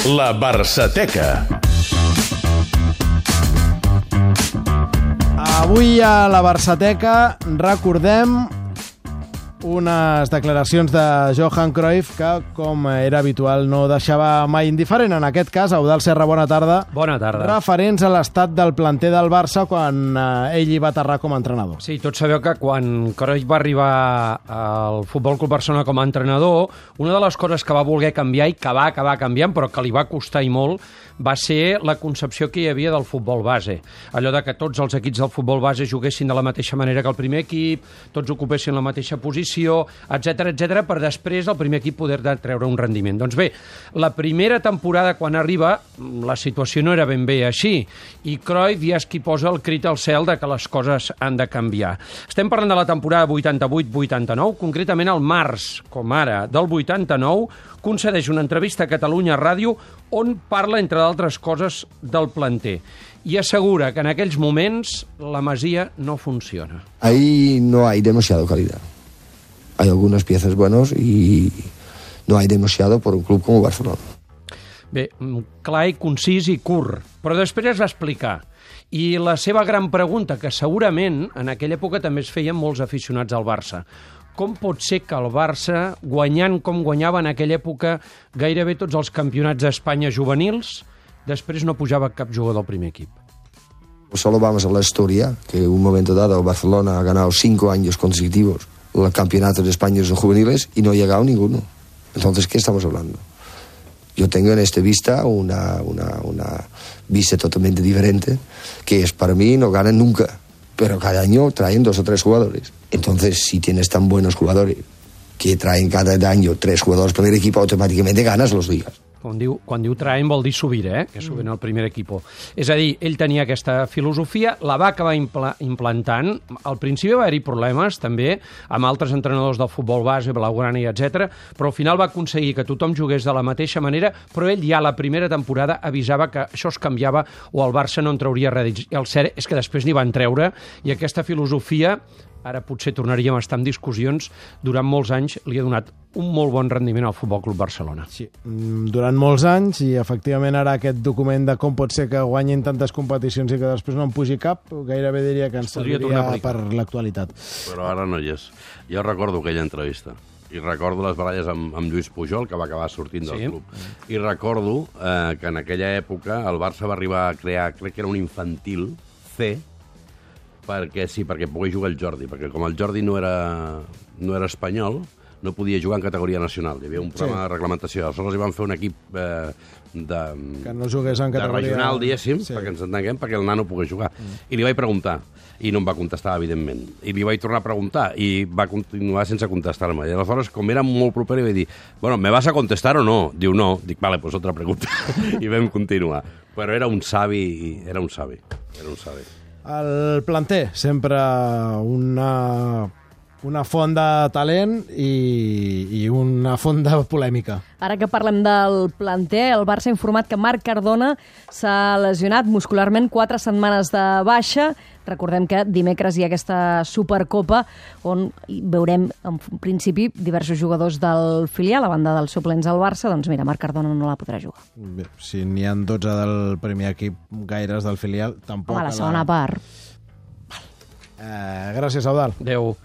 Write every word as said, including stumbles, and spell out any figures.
La Barçateca. Avui a la Barçateca recordem unes declaracions de Johan Cruyff que, com era habitual, no deixava mai indiferent. En aquest cas, Eudald Serra, bona tarda. Bona tarda. Referents a l'estat del planter del Barça quan eh, ell hi va aterrar com a entrenador. Sí, tots sabeu que quan Cruyff va arribar al Futbol Club Barcelona com a entrenador, una de les coses que va voler canviar i que va acabar canviant, però que li va costar i molt, va ser la concepció que hi havia del futbol base. Allò de que tots els equips del futbol base juguessin de la mateixa manera que el primer equip, tots ocupessin la mateixa posició, etcètera, etcètera, per després el primer equip poder treure un rendiment. Doncs bé, la primera temporada quan arriba, la situació no era ben bé així, i Cruyff ja és qui posa el crit al cel de que les coses han de canviar. Estem parlant de la temporada vuitanta-vuit vuitanta-nou, concretament al març, com ara, del vuitanta-nou, concedeix una entrevista a Catalunya Ràdio on parla, entre d'altres coses, del planter. I assegura que en aquells moments la Masia no funciona. Ahí no hay demasiada calidad. Hay algunas piezas buenas y no hay demasiado por un club como Barcelona. Bé, clar i concís i curt, però després es va explicar. I la seva gran pregunta, que segurament en aquella època també es feien molts aficionats al Barça: com pot ser que el Barça, guanyant com guanyava en aquella època gairebé tots els campionats d'Espanya juvenils, després no pujava cap jugador del primer equip? Solo vamos a la historia, que en un momento dado Barcelona ha ganado cinco años consecutivos los campeonatos de España juveniles y no ha llegado ninguno. Entonces, ¿qué estamos hablando? Yo tengo en esta vista una, una, una vista totalmente diferente, que es, para mí, no ganan nunca, pero cada año traen dos o tres jugadores. Entonces, si tienes tan buenos jugadores que traen cada año tres jugadores por el equipo, automáticamente ganas los ligas. Quan diu, quan diu traen vol dir subir, eh? Que suben al primer equip. És a dir, ell tenia aquesta filosofia, la va acabar impla implantant. Al principi va haver-hi problemes, també, amb altres entrenadors del futbol base, Blaugrana i etcètera, però al final va aconseguir que tothom jugués de la mateixa manera, però ell ja la primera temporada avisava que això es canviava o el Barça no en trauria res. I el cert és que després n'hi van treure, i aquesta filosofia, ara potser tornaríem a estar en discussions, durant molts anys li ha donat un molt bon rendiment al Futbol Club Barcelona. Sí, durant molts anys, i efectivament ara aquest document de com pot ser que guanyin tantes competicions i que després no en pugi cap, gairebé diria que ens serviria per l'actualitat. Però ara no hi és. Jo recordo aquella entrevista. I recordo les baralles amb, amb Lluís Pujol, que va acabar sortint del sí. club. I recordo eh, que en aquella època el Barça va arribar a crear, crec que era un infantil C, perquè sí, perquè pogués jugar el Jordi, perquè com el Jordi no era, no era espanyol, no podia jugar en categoria nacional. Hi havia un problema sí. de reglamentació. Aleshores hi van fer un equip eh, de, que no jugués en categoria... de regional, diguéssim, sí. perquè ens entenguem, perquè el nano pogués jugar. Mm. I li vaig preguntar, i no em va contestar, evidentment. I li vaig tornar a preguntar, i va continuar sense contestar-me. I aleshores, com era molt proper, li vaig dir, bueno, ¿me vas a contestar o no? Diu, no. Dic, vale, pues otra pregunta. I vam continuar. Però era un savi, era un savi, era un savi. El planter, sempre una, una font de talent i, i una font de polèmica. Ara que parlem del planter, el Barça ha informat que Marc Cardona s'ha lesionat muscularment, quatre setmanes de baixa. Recordem que dimecres hi ha aquesta Supercopa on veurem, en principi, diversos jugadors del filial, a banda dels suplents al Barça. Doncs mira, Marc Cardona no la podrà jugar. Bé, si n'hi ha dotze del primer equip, gaires del filial, tampoc... Home, la segona la... part. Eh, gràcies, Eudald. Adéu.